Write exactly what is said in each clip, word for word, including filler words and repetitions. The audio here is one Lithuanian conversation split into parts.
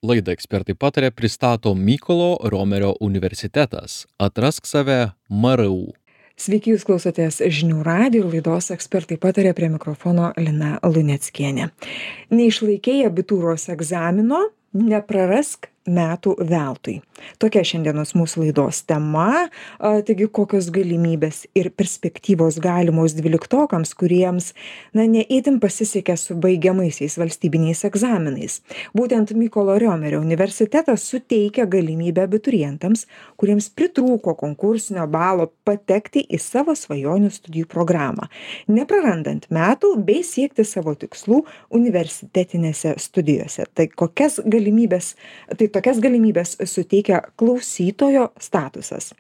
Laidą ekspertai patarė pristato Mykolo Romerio universitetas. Atrask save M R U. Sveiki, jūs klausotės žinių radijo ir laidos ekspertai patarė, prie mikrofono Lina Luneckienė. Neišlaikei abitūros egzamino, neprarask metų veltui. Tokia šiandienos mūsų laidos tema. Taigi, kokios galimybės ir perspektyvos galimos dvyliktokams, kuriems, na, neįtin pasisekė su baigiamaisiais valstybiniais egzaminais. Būtent Mykolo Romerio universitetas suteikia galimybę abiturientams, kuriems pritrūko konkursinio balo, patekti į savo svajonių studijų programą, neprarandant metų bei siekti savo tikslų universitetinėse studijose. Tai kokias galimybės, tai tokias galimybės suteikia klausytojo statusas.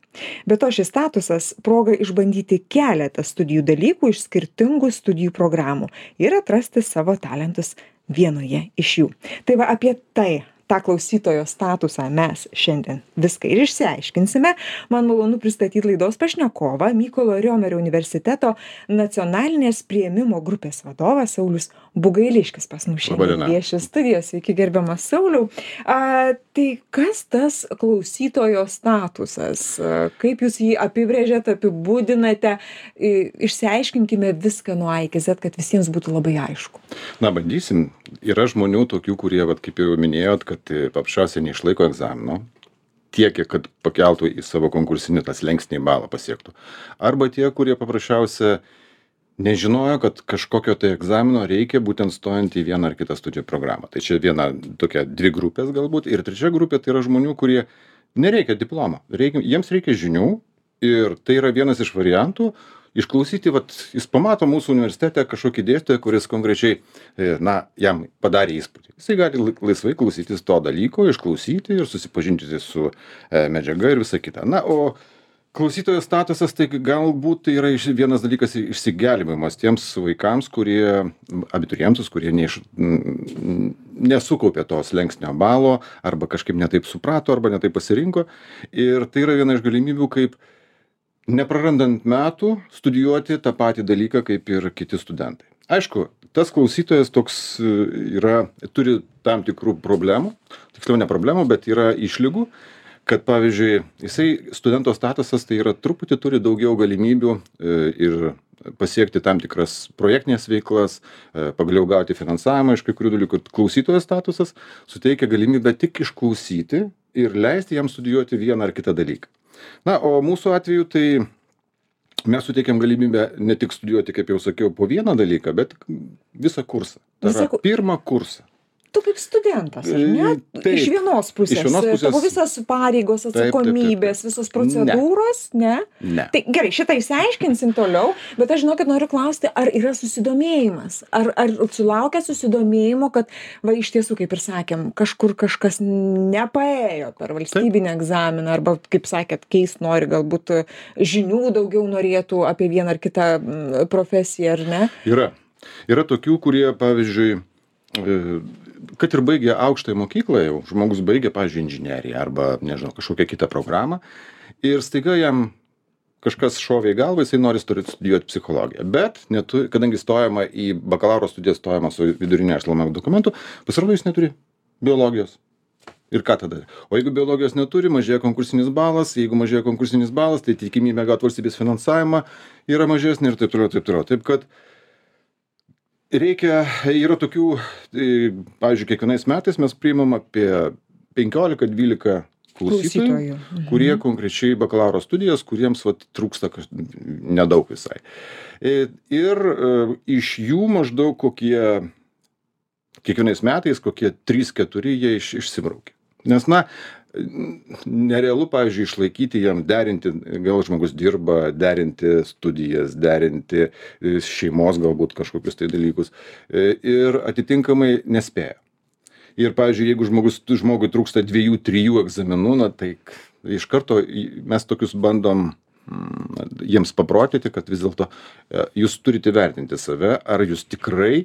Be to, šis statusas proga išbandyti keletą studijų dalykų iš skirtingų studijų programų ir atrasti savo talentus vienoje iš jų. Tai va, apie tai, tą klausytojo statusą mes šiandien viską ir išsiaiškinsime. Man malonu pristatyti laidos pašnekovą, Mykolo Romerio universiteto nacionalinės priėmimo grupės vadovas Saulius Bugailiškis pas mus šiandien vieši studijos. Sveiki, gerbiamas Sauliau. A, tai kas tas klausytojo statusas? Kaip jūs jį apibrėžiate, apibūdinate? Išsiaiškinkime viską nuo A iki Z, kad visiems būtų labai aišku. Na, bandysim. Yra žmonių tokių, kurie, vat, kaip jau minėjot, kad paprasčiausiai neišlaiko egzamino tiek, kad pakeltų į savo konkursinį tą slenkstinį balą pasiektų. Arba tie, kurie paprasčiausiai nežinojo, kad kažkokio tai egzamino reikia būtent stojant į vieną ar kitą studijų programą. Tai čia viena tokia dvi grupės galbūt. Ir trečia grupė tai yra žmonių, kurie nereikia diplomo. Reikia, jiems reikia žinių ir tai yra vienas iš variantų. Išklausyti, vat, jis pamato mūsų universitete kažkokį dėstytoją, kuris konkrečiai, na, jam padarė įspūdį. Jisai gali laisvai klausytis to dalyko, išklausyti ir susipažinti su e, medžiaga ir visa kita. Na, o klausytojo statusas, tai galbūt tai yra vienas dalykas išsigelbėjimas tiems vaikams, kurie, abiturientus, kurie neiš, nesukaupė to slenkstinio balo, arba kažkaip netaip suprato, arba netaip pasirinko. Ir tai yra viena iš galimybių, kaip neprarandant metų studijuoti tą patį dalyką kaip ir kiti studentai. Aišku, tas klausytojas toks yra, turi tam tikrų problemų, tiksliau ne problemų, bet yra išlygų, kad pavyzdžiui, jisai studento statusas tai yra truputį turi daugiau galimybių ir pasiekti tam tikras projektinės veiklas, pagaliau gauti finansavimą iš kai kurių dalykų. Klausytojo statusas suteikia galimybę tik išklausyti ir leisti jam studijuoti vieną ar kitą dalyką. Na, o mūsų atveju tai mes suteikiam galimybę ne tik studijuoti, kaip jau sakiau, po vieną dalyką, bet visą kursą. Tai yra pirmą kursą. Tu kaip studentas, ar ne? Taip, iš vienos pusės. Iš vienos pusės. Tavo visas pareigos, atsakomybės, visos procedūros, ne? Ne. ne. Tai gerai, šitą išsiaiškinsim toliau, bet aš žinau, kad noriu klausti, ar yra susidomėjimas? Ar, ar sulaukia susidomėjimo, kad, va, iš tiesų, kaip ir sakėm, kažkur kažkas nepaėjo per valstybinį egzaminą, arba, kaip sakėt, keist nori, galbūt žinių daugiau norėtų apie vieną ar kitą profesiją, ar ne? Yra. Yra tokių, kurie, pavyzdžiui, kad ir baigė aukštąją mokyklą jau, žmogus baigė, pavyzdžiui, inžineriją arba, nežinau, kažkokią kitą programą ir staiga jam kažkas šovė į galvą, jisai nori studijuoti psichologiją. Bet, netu, kadangi stojama į bakalauro studijas, stojama su vidurinio išsilavinimo dokumentu, pasirodo, jis neturi biologijos. Ir ką tada? O jeigu biologijos neturi, mažėja konkursinis balas, jeigu mažėja konkursinis balas, tai tikimybė gauti valstybės finansavimą yra mažesnė ir taip toliau, taip toliau. Taip kad reikia, yra tokių, pavyzdžiui, kiekvienais metais mes priimam apie penkiolika dvylika klausytojų, mhm. kurie konkrečiai bakalauro studijas, kuriems vat, trūksta nedaug visai. Ir iš jų maždaug kokie, kiekvienais metais kokie trys keturi jie iš, išsibraukia. Nes, na, nerealu, pavyzdžiui, išlaikyti jam, derinti, gal žmogus dirba, derinti studijas, derinti šeimos galbūt kažkokius tai dalykus ir atitinkamai nespėja. Ir, pavyzdžiui, jeigu žmogus, žmogui trūksta dviejų, trijų egzaminų, na, tai iš karto mes tokius bandom jiems paprotyti, kad vis dėlto jūs turite vertinti save, ar jūs tikrai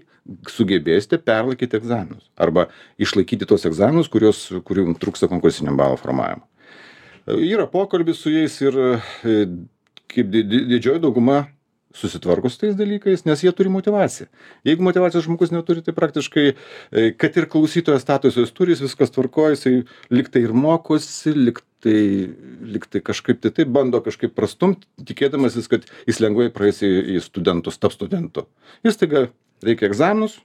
sugebėsite perlaikyti egzaminus arba išlaikyti tos egzaminus, kurios, kurių trūksta konkursinio balo formavimo. Yra pokalbis su jais ir kaip didžioji dauguma susitvarko su tais dalykais, nes jie turi motyvaciją. Jeigu motyvacijos žmogus neturi, tai praktiškai, kad ir klausytojo statusą jis turi, jis viskas tvarkoja, jisai liktai ir mokosi, liktai, liktai kažkaip tai taip bando kažkaip prastumti, tikėdamasis, kad jis lengvai praeis į, į studentus, tap studentu. Jis taiga reikia egzaminus.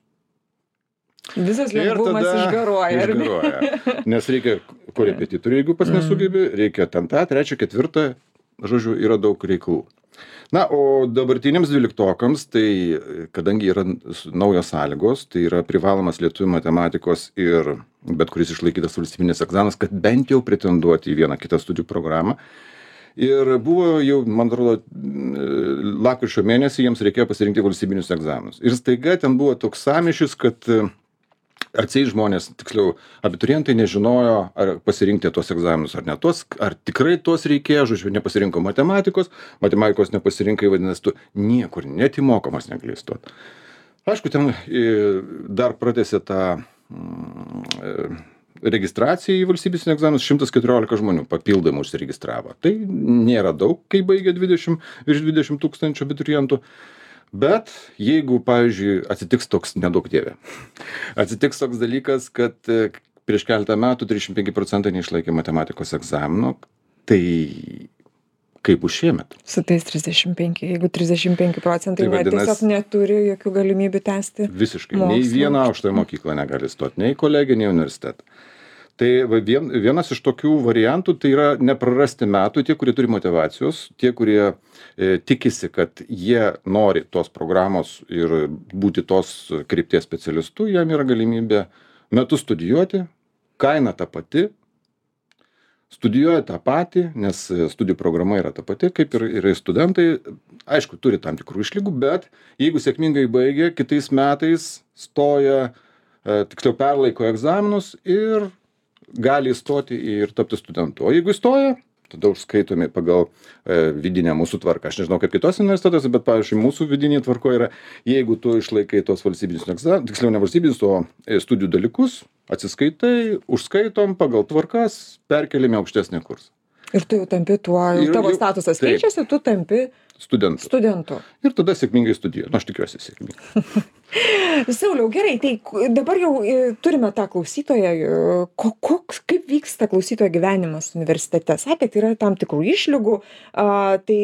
Visas lengvumas išgaruoja. Išgaruoja. Nes reikia korepetitorių, jeigu pas nesugebi, reikia ten tą, trečią, ketvirtą, žodžiu, yra daug reikalų. Na, o dabartiniams dvyliktokams, tai kadangi yra naujos sąlygos, tai yra privalomas lietuvių matematikos ir bet kuris išlaikytas valstybinis egzaminas, kad bent jau pretenduoti į vieną kitą studijų programą. Ir buvo jau, man atrodo, lapkričio mėnesį jiems reikėjo pasirinkti valstybinius egzaminus. Ir staiga ten buvo toks sąmyšis, kad atseit žmonės, tiksliau, abiturientai nežinojo, ar pasirinkti tuos egzaminus ar ne tuos, ar tikrai tuos reikėjo, žodžiu, nepasirinko matematikos, matematikos nepasirinkai, vadinasi, tu niekur net įmokamas negali įstoti. Aišku, ten dar pratęsė tą mm, registraciją į valstybės egzaminus, šimtas keturiolika žmonių papildomai užsiregistravo. Tai nėra daug, kai baigė dvidešimt, virš dvidešimt tūkstančių abiturientų. Bet jeigu, pavyzdžiui, atsitiks toks, nedaug dievė, atsitiks toks dalykas, kad prieš keletą metų trisdešimt penki procentai neišlaikė matematikos egzamino, tai kaip bus šiemet? Su tais trisdešimt penki, jeigu trisdešimt penki procentai tai vadinasi, tiesiog neturi jokių galimybių tęsti. Visiškai, nei vieną aukštąją mokyklą negali stoti, nei kolegiją, nei universitetą. Tai vien, vienas iš tokių variantų tai yra neprarasti metų tie, kurie turi motyvacijos, tie, kurie e, tikisi, kad jie nori tos programos ir būti tos krypties specialistu, jam yra galimybė metus studijuoti, kaina ta pati, studijuoja tą patį, nes studijų programa yra ta pati, kaip ir, ir studentai, aišku, turi tam tikrų išlygų, bet jeigu sėkmingai baigia, kitais metais stoja, e, tiksliau perlaiko egzaminus ir gali įstoti ir tapti studentu. O jeigu įstoja, tada užskaitomi pagal e, vidinę mūsų tvarką. Aš nežinau, kaip kitos universitetuose, bet, pavyzdžiui, mūsų vidinė tvarko yra, jeigu tu išlaikai tos valstybinius egzaminus, tiksliau ne valstybinius, o studijų dalykus, atsiskaitai, užskaitom pagal tvarkas, perkeliame aukštesnį kursą. Ir tu jau tampi tuo, ir, tavo statusas taip, keičiasi, tu tampi studentu. studentu. Ir tada sėkmingai studijuoji. Nu, aš tikiuosi sėkmingai. Sauliau, gerai, tai dabar jau turime tą klausytoją. Koks, kaip vyksta klausytojo gyvenimas universitete? Sakėt, yra tam tikrų išlygų, a, tai,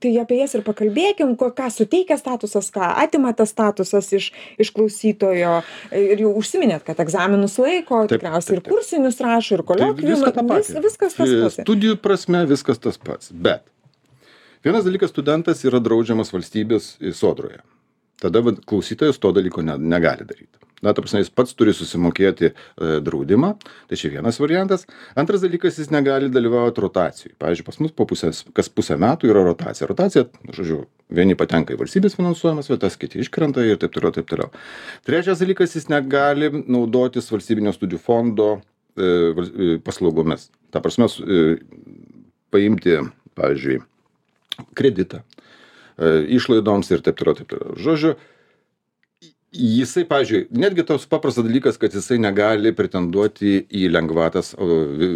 tai apie jas ir pakalbėkim, ką suteikia statusas, ką atima tas statusas iš, iš klausytojo. Ir jau užsiminėt, kad egzaminus laiko, taip, tikriausiai taip, taip. Ir kursinius rašo, ir koliokviumą. Tai vis, viskas tas pats. Studijų prasme viskas tas pats. Bet vienas dalykas, studentas yra draudžiamas valstybės sodroje. Tada klausytojas to dalyko ne, negali daryti. Na, ta prasme, jis pats turi susimokėti e, draudimą, tai čia vienas variantas. Antras dalykas, jis negali dalyvauti rotacijai. Pavyzdžiui, pas mus po pusės, kas pusę metų yra rotacija. Rotacija, žodžiu, vieni patenka į valstybės finansuojamas vietas, kiti iškrenta ir taip toliau, taip toliau. Trečias dalykas, jis negali naudotis valstybinio studijų fondo e, paslaugomis. Ta prasme, e, paimti, pavyzdžiui, kreditą, išlaidoms ir taip toliau, taip toliau. Žodžiu, jisai, pavyzdžiui, netgi toks paprastas dalykas, kad jisai negali pretenduoti į lengvatas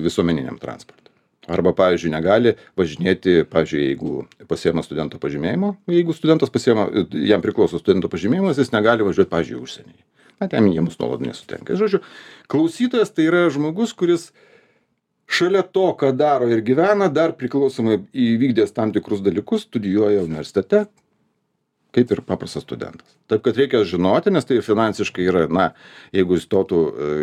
visuomeniniam transportui. Arba, pavyzdžiui, negali važinėti, pavyzdžiui, jeigu pasiema studento pažymėjimo, jeigu studentas pasiema, jam priklauso studento pažymėjimas, jis negali važiuoti, pavyzdžiui, užsienyje. Na, ten jiems nuolat nesutenka. Žodžiu, klausytojas tai yra žmogus, kuris šalia to, ką daro ir gyvena, dar priklausomai įvykdęs tam tikrus dalykus, studijuoja universitete, kaip ir paprastas studentas. Taip, kad reikia žinoti, nes tai finansiškai yra, na, jeigu įstotų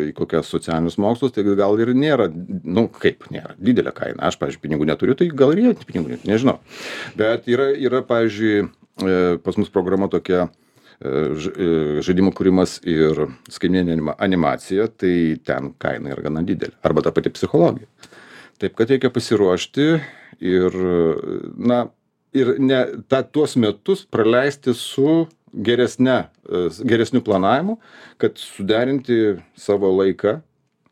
į kokias socialinius mokslus, tai gal ir nėra, nu, kaip nėra, didelė kaina. Aš, pavyzdžiui, pinigų neturiu, tai gal ir jie pinigų neturiu, nežinau. Bet yra, yra, pavyzdžiui, pas mus programa tokia, žaidimų kūrimas ir skaitmeninė animacija, tai ten kaina yra gana didelė. Arba ta pati psichologija. Taip, kad reikia pasiruošti ir, na, ir ne, ta, tuos metus praleisti su geresne, geresniu planavimu, kad suderinti savo laiką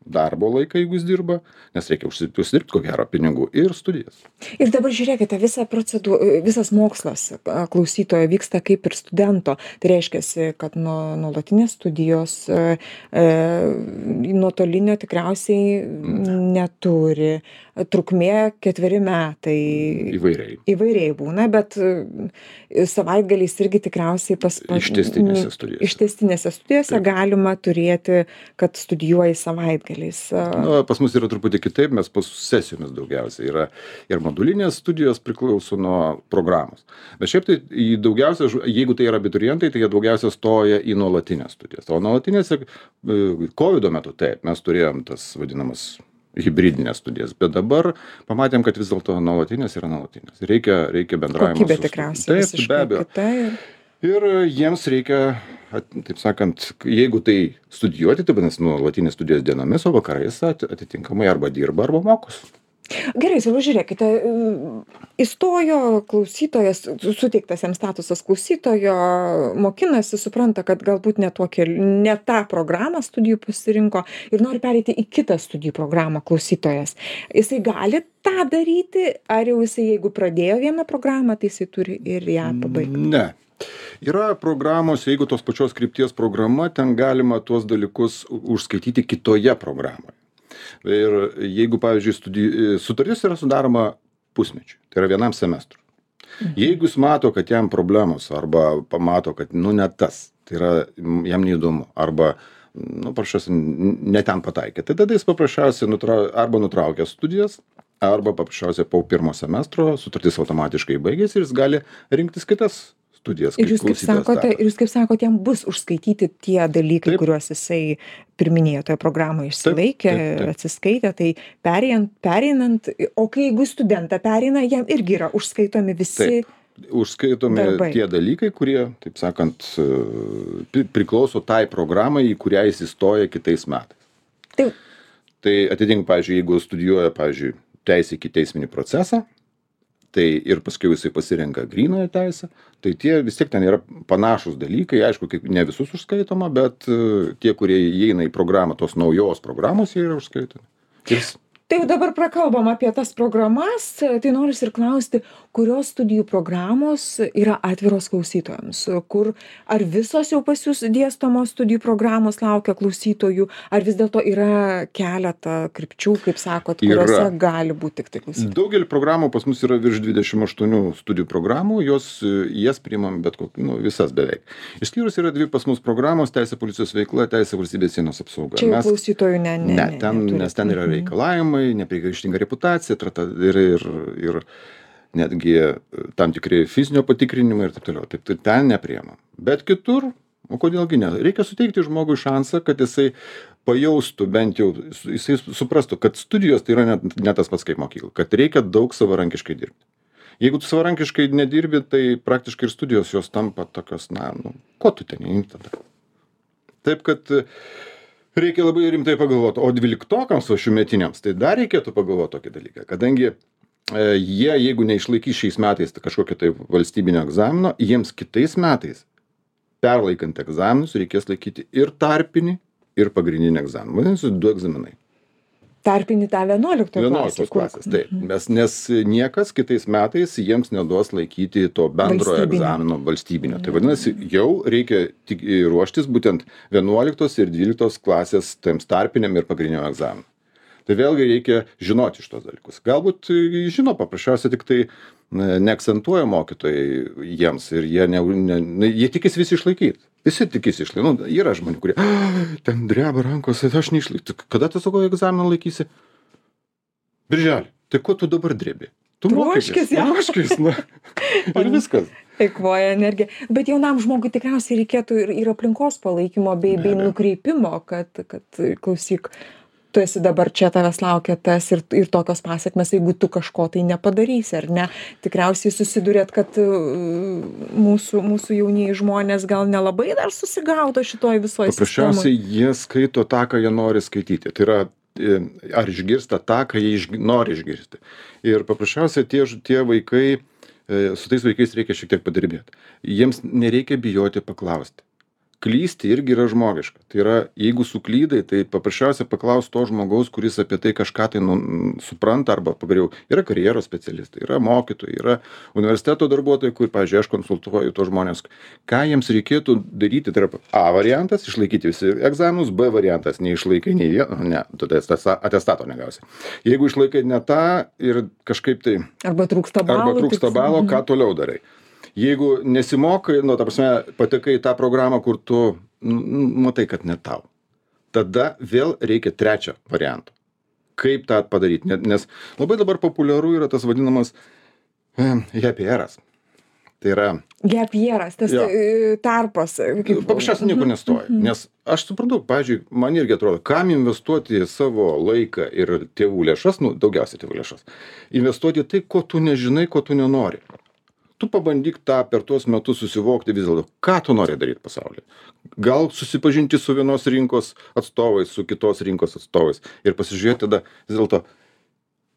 darbo laiką, jeigu jis dirba, nes reikia užsidirbti ko gero pinigų, ir studijas. Ir dabar žiūrėkite, visa procedūra, visas mokslas klausytojo vyksta kaip ir studento. Tai reiškia, kad nuo nuolatinės studijos e, nuotolinio tikriausiai neturi. Trukmė ketveri metai. Įvairiai. Įvairiai būna, bet savaitgaliais irgi tikriausiai pas... Ištęstinėse studijose. Ištęstinėse studijose Taip. Galima turėti, kad studijuoji savaitgaliais. Nu, pas mus yra truputį kitaip, mes pas sesijomis daugiausiai yra ir modulinės studijos priklauso nuo programos. Bet šiaip tai daugiausia, jeigu tai yra abiturientai, tai jie daugiausia stoja į nuolatinės studijas. O nuolatinėse kovido metu taip, mes turėjom tas vadinamas hibridinės studijas, bet dabar pamatėm, kad vis dėlto nuolatinės yra nuolatinės. Reikia, reikia bendravimo. Kokybė tikriausiai visiškai kita. Ir... ir jiems reikia, taip sakant, jeigu tai studijuoti, tai vadinasi nuolatinės studijos dienomis, o vakarais atitinkamai arba dirba, arba mokosi. Gerai, savo žiūrėkite, įstojo klausytojas, suteiktas jam statusas klausytojo, mokinasi, supranta, kad galbūt ne, tokia, ne tą programą studijų pasirinko ir nori pereiti į kitą studijų programą klausytojas. Jisai gali tą daryti, ar jau jisai, jeigu pradėjo vieną programą, tai jisai turi ir ją pabaigti? Ne. Yra programos, jeigu tos pačios krypties programa, ten galima tuos dalykus užskaityti kitoje programoje. Ir jeigu, pavyzdžiui, studijų, sutartis yra sudaroma pusmečiui, tai yra vienam semestrui. Mhm. Jeigu jis mato, kad jam problemos, arba pamato, kad, nu, ne tas, tai yra jam neįdomu, arba, nu, paprasčiausiai, ne ten pataikė, tai tada jis paprasčiausiai nutra, arba nutraukia studijas, arba paprasčiausiai po pirmo semestro sutartis automatiškai baigėsi ir jis gali rinktis kitas studijas. Ir jūs kaip sakote, ir jūs kaip sakote, jam bus užskaityti tie dalykai, taip, kuriuos jisai pirminėjo toje programoje išsilaikė, taip, taip, taip. Atsiskaitė, tai pereinant, pereinant, o kai jeigu studentą pereina, jam irgi yra užskaitomi visi taip. Užskaitomi darbai. Tie dalykai, kurie, taip sakant, priklauso tai programai, į kurią jis įstoja kitais metais. Taip. Tai atitinkamai, pavyzdžiui, jeigu studijuoja, pavyzdžiui, teisę iki teisminį procesą, tai ir paskui jisai pasirenka grynojo teisę, tai tie vis tiek ten yra panašus dalykai, aišku, kaip ne visus užskaitoma, bet tie, kurie įeina į programą, tos naujos programos, jie yra užskaitomi. Ir... Tai jau dabar prakalbam apie tas programas, tai noriu ir klausti, kurios studijų programos yra atviros klausytojams, kur ar visos jau pas jūs dėstomos studijų programos laukia klausytojų, ar vis dėlto yra keletą krypčių, kaip sakot, kuriuose yra. Gali būti tik tai klausytojų. Daugelį programų pas mus yra virš dvidešimt aštuonių studijų programų, jos, jas priimam bet kokį, nu, visas beveik. Išskyrus yra dvi pas mus programos, teisė policijos veikla, teisė valstybės sienos apsauga. Čia Mes, klausytojų ne, ne, ne, ten, ne, nes ten yra reikalavimai, neprigaištinga reputacija, ir, ir, ir netgi tam tikri fizinio patikrinimai ir taip toliau. Taip, tai ten nepriemam. Bet kitur, o kodėlgi ne? Reikia suteikti žmogui šansą, kad jisai pajaustų, bent jau jisai suprastų, kad studijos tai yra ne, ne tas pats kaip mokykla, kad reikia daug savarankiškai dirbti. Jeigu tu savarankiškai nedirbi, tai praktiškai ir studijos jos tampa tokios, na, nu, ko tu ten įimi tada? Taip, kad reikia labai rimtai pagalvoti, o dvyliktokams, o šiųmetiniams, tai dar reikėtų pagalvoti tokį dalyką, kadangi e, jie, jeigu neišlaikys šiais metais tai kažkokio tai valstybinio egzamino, jiems kitais metais, perlaikant egzaminus, reikės laikyti ir tarpinį, ir pagrindinį egzaminą. Vadinasi, du egzaminai. Tarpinį tą vienuoliktos klasės. klasės taip, mes, nes niekas kitais metais jiems neduos laikyti to bendro egzamino valstybinio. Tai vadinasi, jau reikia tik ruoštis būtent vienuoliktos ir dvyliktos klasės tiems tarpiniam ir pagrindiniam egzaminui. Tai vėlgi reikia žinoti šitos dalykus. Galbūt žino, paprasčiausiai tik tai neakcentuoja mokytojai jiems ir jie, ne, ne, jie tikisi visi išlaikyti. Visi tikisi išlaikyti. Nu, yra žmonių, kurie ten dreba rankos, aš neišlaikysiu. Kada tu sako egzaminą laikysi? Birželį. Tai ko tu dabar drebi? Tu mokykis. Ruoškis, na. Ir viskas. Eikvoja energiją. Bet jaunam žmogui tikriausiai reikėtų ir, ir aplinkos palaikymo bei, bei nukreipimo, kad, kad klausyk, tu esi dabar čia, tavęs laukia tas ir, ir tokios pasiekmes, jeigu tu kažko tai nepadarysi, ar ne? Tikriausiai susidurėt, kad mūsų, mūsų jaunieji žmonės gal nelabai dar susigaudo šitoj visoje sistemoje. Paprasčiausiai jie skaito tą, ką jie nori skaityti. Tai yra, ar išgirsta tą, ką jie išg... nori išgirsti. Ir paprasčiausiai tie, tie vaikai, su tais vaikais reikia šiek tiek padirbėti. Jiems nereikia bijoti paklausti. klysti irgi yra žmogiška. Tai yra, jeigu suklydai, tai paprasčiausiai paklaus to žmogaus, kuris apie tai kažką tai nu, supranta, arba pagaliau yra karjeros specialistai, yra mokytojai, yra universiteto darbuotojai, kur, pavyzdžiui, aš konsultuoju tos žmonės, ką jiems reikėtų daryti. Tai yra A variantas, išlaikyti visi egzaminus, B variantas, neišlaikai nei vieno, ne, tada atestato negausi. Jeigu išlaikai ne tą ir kažkaip tai... Arba trūksta balo. Arba trūksta balo, ką toliau darai. Jeigu nesimokai, nu, ta prasme, patekai į tą programą, kur tu nu, matai, kad ne tau. Tada vėl reikia trečią variantą. Kaip tą padaryti? Nes labai dabar populiaru yra tas vadinamas happy yearas. Tai yra... Gap yearas, tas jo. Tarpas. Kaip... Paprasčiausiai niekur nestoja. Mm-hmm. Nes aš suprantu, pavyzdžiui, man irgi atrodo, kam investuoti savo laiką ir tėvų lėšas, nu, daugiausiai tėvų lėšas, investuoti tai, ko tu nežinai, ko tu nenori. Tu pabandyk tą per tuos metus susivokti vis dėlto, ką tu nori daryti pasaulyje. Gal susipažinti su vienos rinkos atstovais, su kitos rinkos atstovais ir pasižiūrėti tada vis dėlto,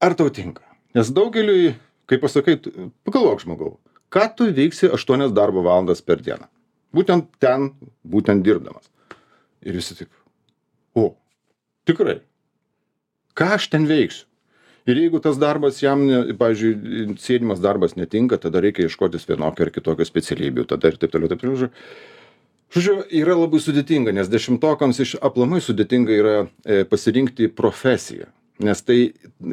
ar tau tinka. Nes daugeliui, kaip pasakai, pagalvok žmogau, ką tu veiksi aštuonias darbo valandas per dieną. Būtent ten, būtent dirbdamas. Ir visi taip, o, tikrai, ką aš ten veiksiu? Ir jeigu tas darbas jam, ne, pavyzdžiui, sėdimas darbas netinka, tada reikia ieškotis vienokio ar kitokio specialybių, tada ir taip toliau, taip toliau. Žodžiu, yra labai sudėtinga, nes dešimtokams iš aplamai sudėtinga yra e, pasirinkti profesiją. Nes tai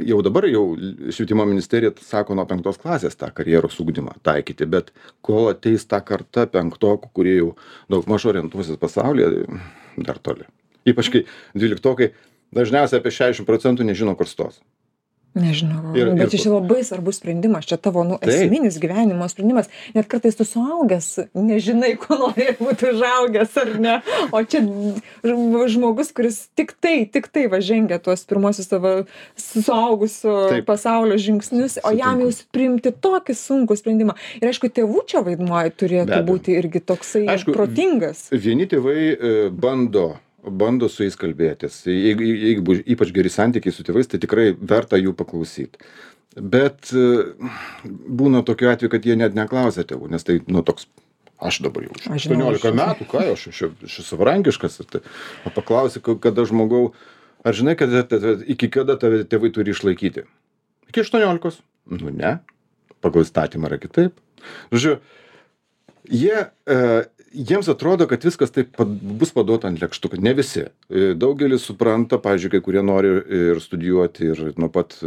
jau dabar jau švietimo ministerija sako nuo penktos klasės tą karjeros ugdymą taikyti, bet kol ateis ta karta penktokų, kurie jau daug maž orientuosis pasaulyje, dar toli. Ypač kai dvyliktokai dažniausiai apie šešiasdešimt procentų nežino, kur stos. Nežinau, ir, bet čia labai svarbus sprendimas, čia tavo nu, esminis gyvenimo sprendimas, net kartais tu suaugęs, nežinai, ko nori būti užaugęs ar ne, o čia žmogus, kuris tik tai, tik tai va žengia tuos pirmosius savo suaugusio Taip. pasaulio žingsnius, o jam jau priimti tokį sunkų sprendimą. Ir aišku, tėvų čia vaidmuo turėtų būti irgi toksai aišku, protingas. Vieni tėvai e, bando bando su jais kalbėtis. Jeigu, jeigu ypač geri santykiai su tėvais, tai tikrai verta jų paklausyti. Bet būna tokiu atveju, kad jie net neklausia tėvų, nes tai, nu, toks, aš dabar jau aštuoniolika metų, ką aš, aš esu savarankiškas. Tai, paklausi, kada žmogau, ar žinai, kad iki kada tave tėvai turi išlaikyti? Iki aštuoniolikos? Nu, ne. Pagal įstatymą yra kitaip. Žodžiu, jie... E, Jiems atrodo, kad viskas taip bus paduota ant lėkštukų. Ne visi. Daugelis supranta, pavyzdžiui, kai kurie nori ir studijuoti ir nuo pat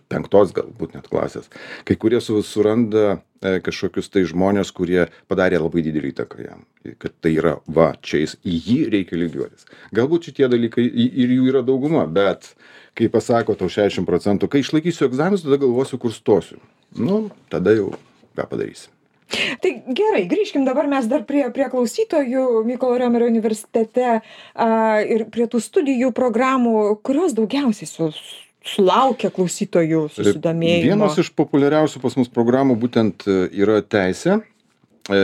penktos galbūt net klasės. Kai kurie suranda kažkokius tai žmonės, kurie padarė labai didelį įtaką jam. Kad tai yra, va, čia jis, į jį reikia lygiuotis. Galbūt šitie dalykai ir jų yra dauguma, bet kai pasako tau šešiasdešimt procentų, kai išlaikysiu egzaminus, tada galvosiu, kur stosiu. Nu, tada jau ką padarysi. Tai gerai, grįžkim dabar mes dar prie, prie klausytojų Mykolo Riomerio universitete a, ir prie tų studijų programų, kurios daugiausiai su, sulaukia klausytojų susidomėjimo. Vienas iš populiariausių pas mus programų būtent yra teisė, e,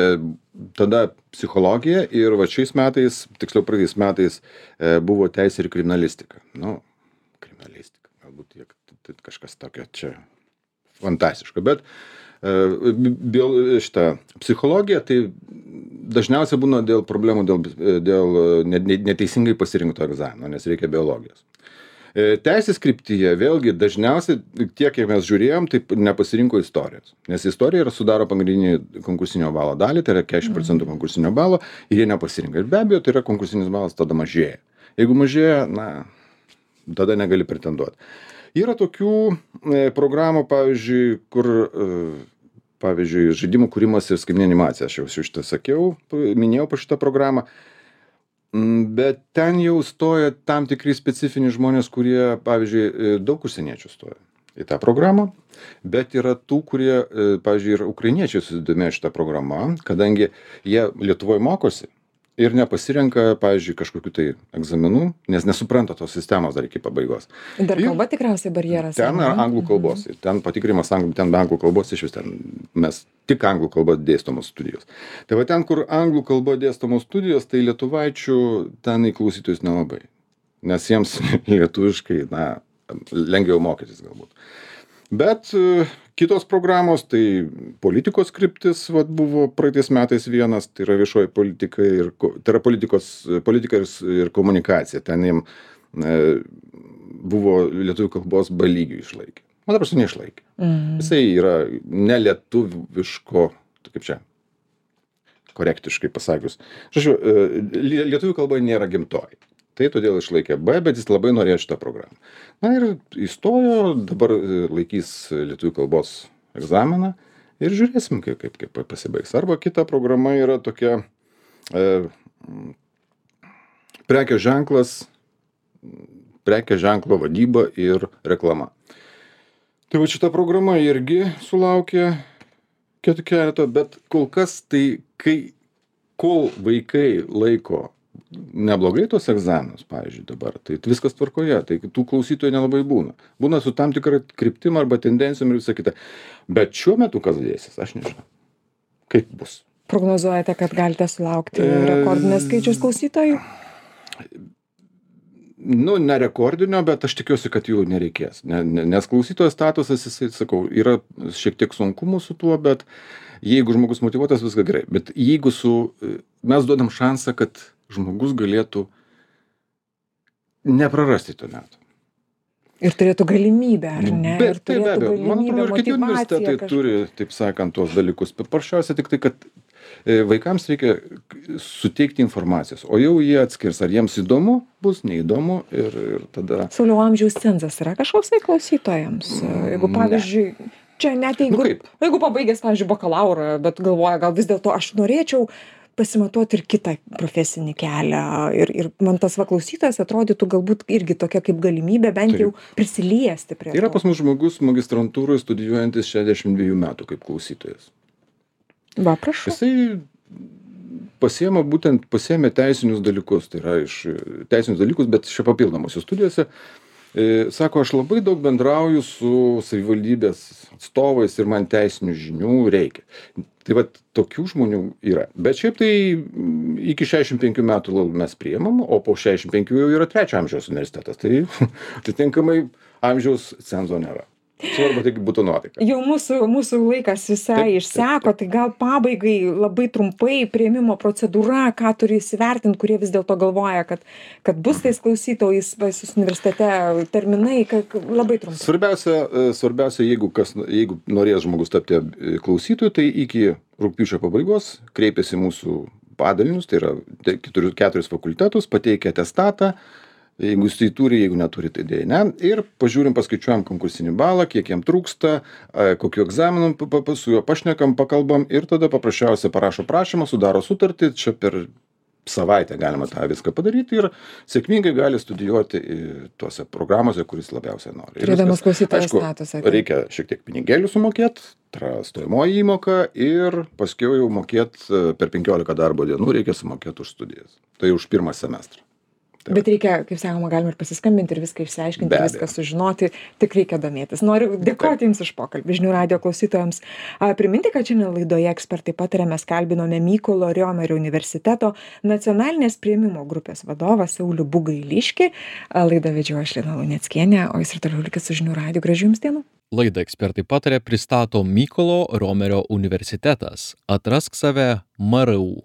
tada psichologija ir va šiais metais, tiksliau praeitais metais, e, buvo teisė ir kriminalistika. Nu, kriminalistika, galbūt tiek, tai kažkas tokio čia fantastiško, bet Bio, šitą psichologiją, tai dažniausiai būna dėl problemų, dėl, dėl neteisingai pasirinkto egzamino, nes reikia biologijos. Teisės kryptyje, vėlgi, dažniausiai, tiek, kiek mes žiūrėjom, tai nepasirinko istorijos. Nes istorija yra sudaro pagrindinį konkursinio balo dalį, tai yra keturiasdešimt procentų konkursinio balo, ir jie nepasirinka. Ir be abejo, tai yra konkursinis balas, tada mažėja. Jeigu mažėja, na, tada negali pretenduoti. Yra tokių e, programų, pavyzdžiui, kur, e, pavyzdžiui, žaidimų kūrimas ir skaitmeninė animacija, aš jau šitą sakiau, minėjau po šitą programą, bet ten jau stoja tam tikri specifiniai žmonės, kurie, pavyzdžiui, daug užsieniečių stoja į tą programą, bet yra tų, kurie, e, pavyzdžiui, ir ukrainiečiai susidomėjo šitą programą, kadangi jie Lietuvoje mokosi. Ir nepasirenka, pavyzdžiui, kažkokiu tai egzaminų, nes nesupranta tos sistemos dar iki pabaigos. Dar kalba ir tikriausiai barjeras. Ten yra anglų kalbos. Mm-hmm. Ten patikrinimas anglų, ten be anglų kalbos iš vis ten mes tik anglų kalba dėstomos studijos. Tai va ten, kur anglų kalba dėstomos studijos, tai lietuvaičių ten į klausytojus nelabai. Nes jiems lietuviškai, na, lengviau mokytis galbūt. Bet kitos programos, tai politikos kryptis, vat, buvo praeitais metais vienas, tai yra viešoji politika ir, tai yra politikos, politika ir, ir komunikacija. Ten jiem e, buvo lietuvių kalbos B lygių išlaikė. O dabar su neišlaikė. Mm. Jisai yra nelietuviško, kaip čia, korektiškai pasakius. Žodžiu, lietuvių kalba nėra gimtoji. Tai todėl išlaikė B, bet jis labai norėjo šitą programą. Na ir įstojo, dabar laikys lietuvių kalbos egzaminą ir žiūrėsim, kaip, kaip, kaip pasibaigs. Arba kita programa yra tokia e, prekės ženklas, prekės ženklo vadyba ir reklama. Tai va šita programa irgi sulaukė keletą, bet kol kas tai, kai, kol vaikai laiko neblogai tos egzaminus, pavyzdžiui, dabar, tai viskas tvarkoje, tai tų klausytojų nelabai būna. Būna su tam tikra kryptim arba tendencijom ir visą kitą. Bet šiuo metu kas dėsis, aš nežinau. Kaip bus? Prognozuojate, kad galite sulaukti rekordinės skaičius klausytojų? Nu, ne rekordinio, bet aš tikiuosi, kad jų nereikės. Nes klausytojo statusas, jisai, sakau, yra šiek tiek sunkumų su tuo, bet jeigu žmogus motyvuotas, viską gerai. Bet jeigu su, mes duodam šansą, kad žmogus galėtų neprarasti to metų. Ir turėtų galimybę, ar ne? Bet tai be abejo, man atrodo, ir kiti universitetai kažką turi, taip sakant, tuos dalykus. Paprasčiausia tik tai, kad vaikams reikia suteikti informacijos, o jau jie atskirs, ar jiems įdomu, bus neįdomu ir, ir tada... Sauliau, amžiaus cenzas yra kažkoks tai klausytojams? Jeigu, pavyzdžiui, ne. Čia net jeigu, nu jeigu pabaigęs, pavyzdžiui, bakalaurą, bet galvoja, gal vis dėlto aš norėčiau pasimatuoti ir kitą profesinį kelią. Ir, ir man tas va klausytojas atrodytų galbūt irgi tokia kaip galimybė bent jau prisiliesti prie to. Yra pas mus žmogus magistrantūroje studijuojantis šešiasdešimt dviejų metų kaip klausytojas. Va, prašau. Jisai pasiema būtent, pasiėmė teisinius dalykus, tai yra iš teisinius dalykus, bet čia papildomose studijose. E, sako, aš labai daug bendrauju su savivaldybės atstovais ir man teisinių žinių reikia. Tai vat tokių žmonių yra. Bet šiaip tai iki šešiasdešimt penkių metų mes priimam, o po šešiasdešimt penkių jau yra trečio amžiaus universitetas. Tai atitinkamai amžiaus cenzo nėra. Svarbu, tai būtų nuotaika. Jau mūsų, mūsų laikas visai taip, išseko, taip, taip. Tai gal pabaigai labai trumpai priėmimo procedūra, ką turi įsivertinti, kurie vis dėlto galvoja, kad, kad bus tais klausytojais pas jūs universitete terminai, kad labai trumpai. Svarbiausia, svarbiausia jeigu, kas, jeigu norės žmogus tapti klausytojų, tai iki rugpjūčio pabaigos kreipiasi mūsų padalinius, tai yra keturis fakultetus, pateikia atestatą. Jeigu jis tai turi, jeigu neturi, tai dėja ne. Ir pažiūrim, paskaičiuojam konkursinį balą, kiek jam trūksta, kokiu egzaminu su juo pašnekam, pakalbam ir tada paprasčiausiai parašo prašymą, sudaro sutartį, čia per savaitę galima tą viską padaryti ir sėkmingai gali studijuoti tuose programuose, kuris labiausiai nori. Turėdamas klausytojo statusą. Reikia šiek tiek pinigėlių sumokėti, stojamoji įmoka ir paskiau jau mokėti per penkiolika darbo dienų reikia sumokėti už studijas. Tai už pirmą semestrą. Tai bet reikia, kaip sakoma, galima ir pasiskambinti ir viską išsiaiškinti, ir viską sužinoti, tik reikia domėtis. Noriu dėkoti Jums už pokalbį, žinių radijo klausytojams. A, priminti, kad šiandien laidoje ekspertai pataria, mes kalbinome Mykolo Riomerio universiteto nacionalinės priėmimo grupės vadovą Saulių Bugailiškį. Laidą vedžiau aš Lina Luneckienė, o Jūs ir toliau likit su žinių radiju. Gražių Jums dienų. Laidą ekspertai pataria pristato Mykolo Riomerio universitetas. Atrask save M R U.